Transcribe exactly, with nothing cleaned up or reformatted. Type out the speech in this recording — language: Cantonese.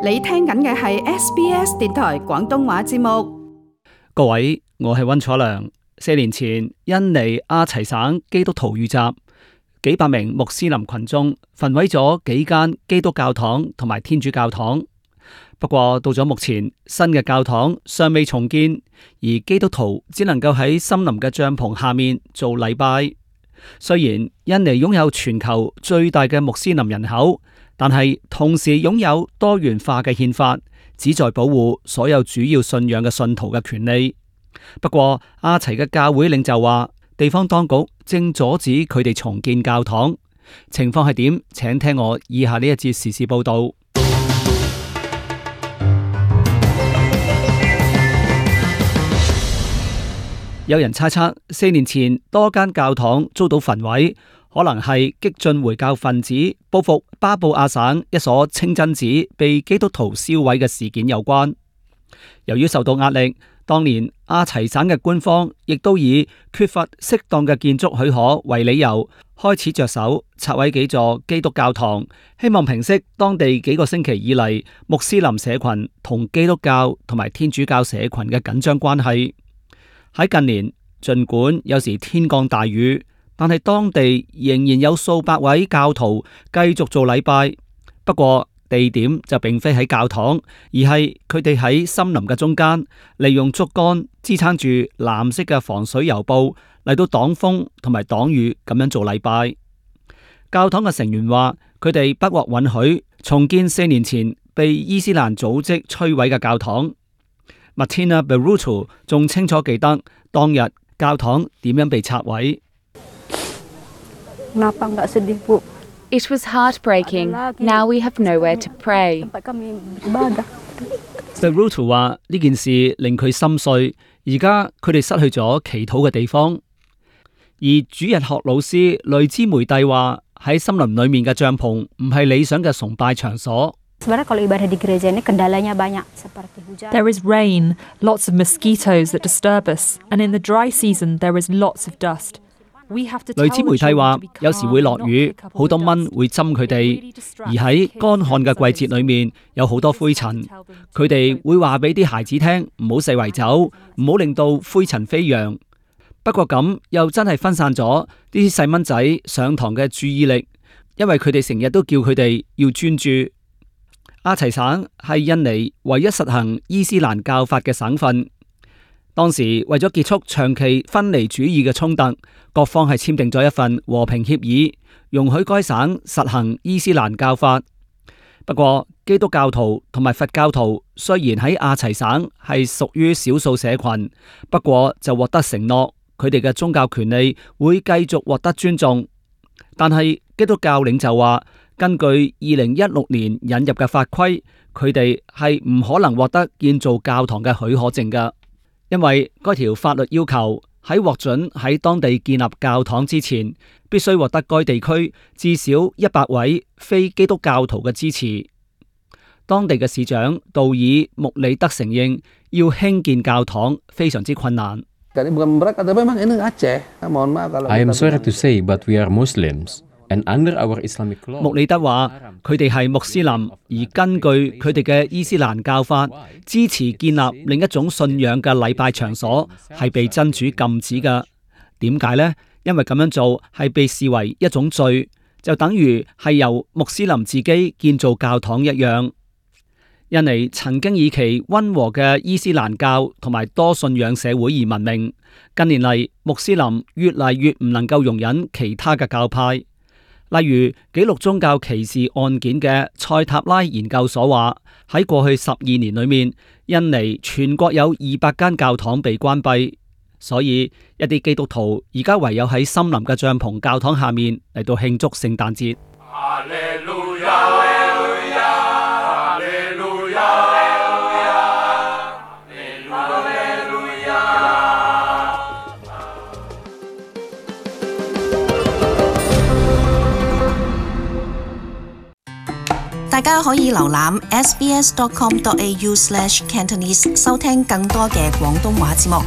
你聽緊嘅係 S B S 電台廣東話節目。各位，我係溫楚良。四年前，印尼阿齊省基督徒遇襲，幾百名穆斯林群眾焚毀咗幾間基督教堂同埋天主教堂。不過到咗目前，新嘅教堂尚未重建，而基督徒只能夠喺森林嘅帳篷下面做禮拜。雖然印尼擁有全球最大嘅穆斯林人口，但係同時擁有多元化嘅憲法，旨在保護所有主要信仰嘅信徒嘅權利。不過阿齊嘅教會領袖話，地方當局正阻止佢哋重建教堂。情況係點？請聽我以下呢一節時事報道。有人猜測，四年前多間教堂遭到焚毀，可能係激進回教分子報復巴布亞省一所清真寺被基督徒燒毀嘅事件有關。由於受到壓力，當年阿齊省嘅官方亦都以缺乏適當嘅建築許可為理由，開始着手拆毀幾座基督教堂，希望平息當地幾個星期以嚟穆斯林社群同基督教同埋天主教社群嘅緊張關係。喺近年，儘管有時天降大雨，但係當地仍然有數百位教徒繼續做禮拜。不過地點就並非喺教堂，而係佢哋喺森林嘅中間，利用竹竿支撐住藍色嘅防水油布嚟到擋風同埋擋雨咁樣做禮拜。教堂嘅成員話，佢哋不獲允許重建四年前被伊斯蘭組織摧毀嘅教堂。Martina Beruto 仲清楚記得當日教堂點樣被拆毀。It was heartbreaking. Now we have nowhere to pray. Beruto 話呢件事令佢心碎，而家佢哋失去咗祈禱嘅地方。而主日學老師雷茲梅蒂話，喺森林裏面嘅帳篷唔係理想嘅崇拜場所。There is rain, lots of mosquitoes that disturb us, and in the dry season there is lots of dust. 雷茲梅蒂話，有時會落雨，好多蚊會針佢哋，而喺乾旱嘅季節裏面有好多灰塵。佢哋會話俾啲孩子聽，唔好四圍走，唔好令到灰塵飛揚。不過咁又真係分散咗啲細蚊仔上堂嘅注意力，因為佢哋成日都叫佢哋要專注。阿齊省係印尼唯一實行伊斯蘭教法嘅省份。當時為咗結束長期分離主義嘅衝突，各方係簽訂咗一份和平協議，容許該省實行伊斯蘭教法。不過基督教徒同埋佛教徒雖然喺阿齊省係屬於少數社群，不過就獲得承諾，佢哋嘅宗教權利會繼續獲得尊重。但係基督教領袖話，根據二零一六年引入嘅法規，佢哋係唔可能獲得建造教堂嘅許可證㗎，因為該條法律要求喺獲准喺當地建立教堂之前，必須獲得該地區至少一百位非基督教徒嘅支持。當地嘅市長道爾穆里德承認，要興建教堂非常之困難。I am sorry to say, but we are Muslims. 穆里德話，佢哋係穆斯林，而根據佢哋嘅伊斯蘭教法，支持建立另一種信仰嘅禮拜場所係被真主禁止嘅。點解呢？因為咁樣做係被視為一種罪，就等於係由穆斯林自己建造教堂一樣。印尼曾經以其溫和嘅伊斯蘭教同埋多信仰社會而聞名，近年嚟穆斯林越嚟越唔能夠容忍其他嘅教派。例如記錄宗教歧視案件嘅塞塔拉研究所話，喺過去十二年裏面，印尼全國有二百間教堂被關閉，所以一啲基督徒而家唯有喺森林嘅帳篷教堂下面嚟到慶祝聖誕節。大家可以瀏覽 s b s dot com dot a u slash cantonese 收聽更多嘅廣東話節目。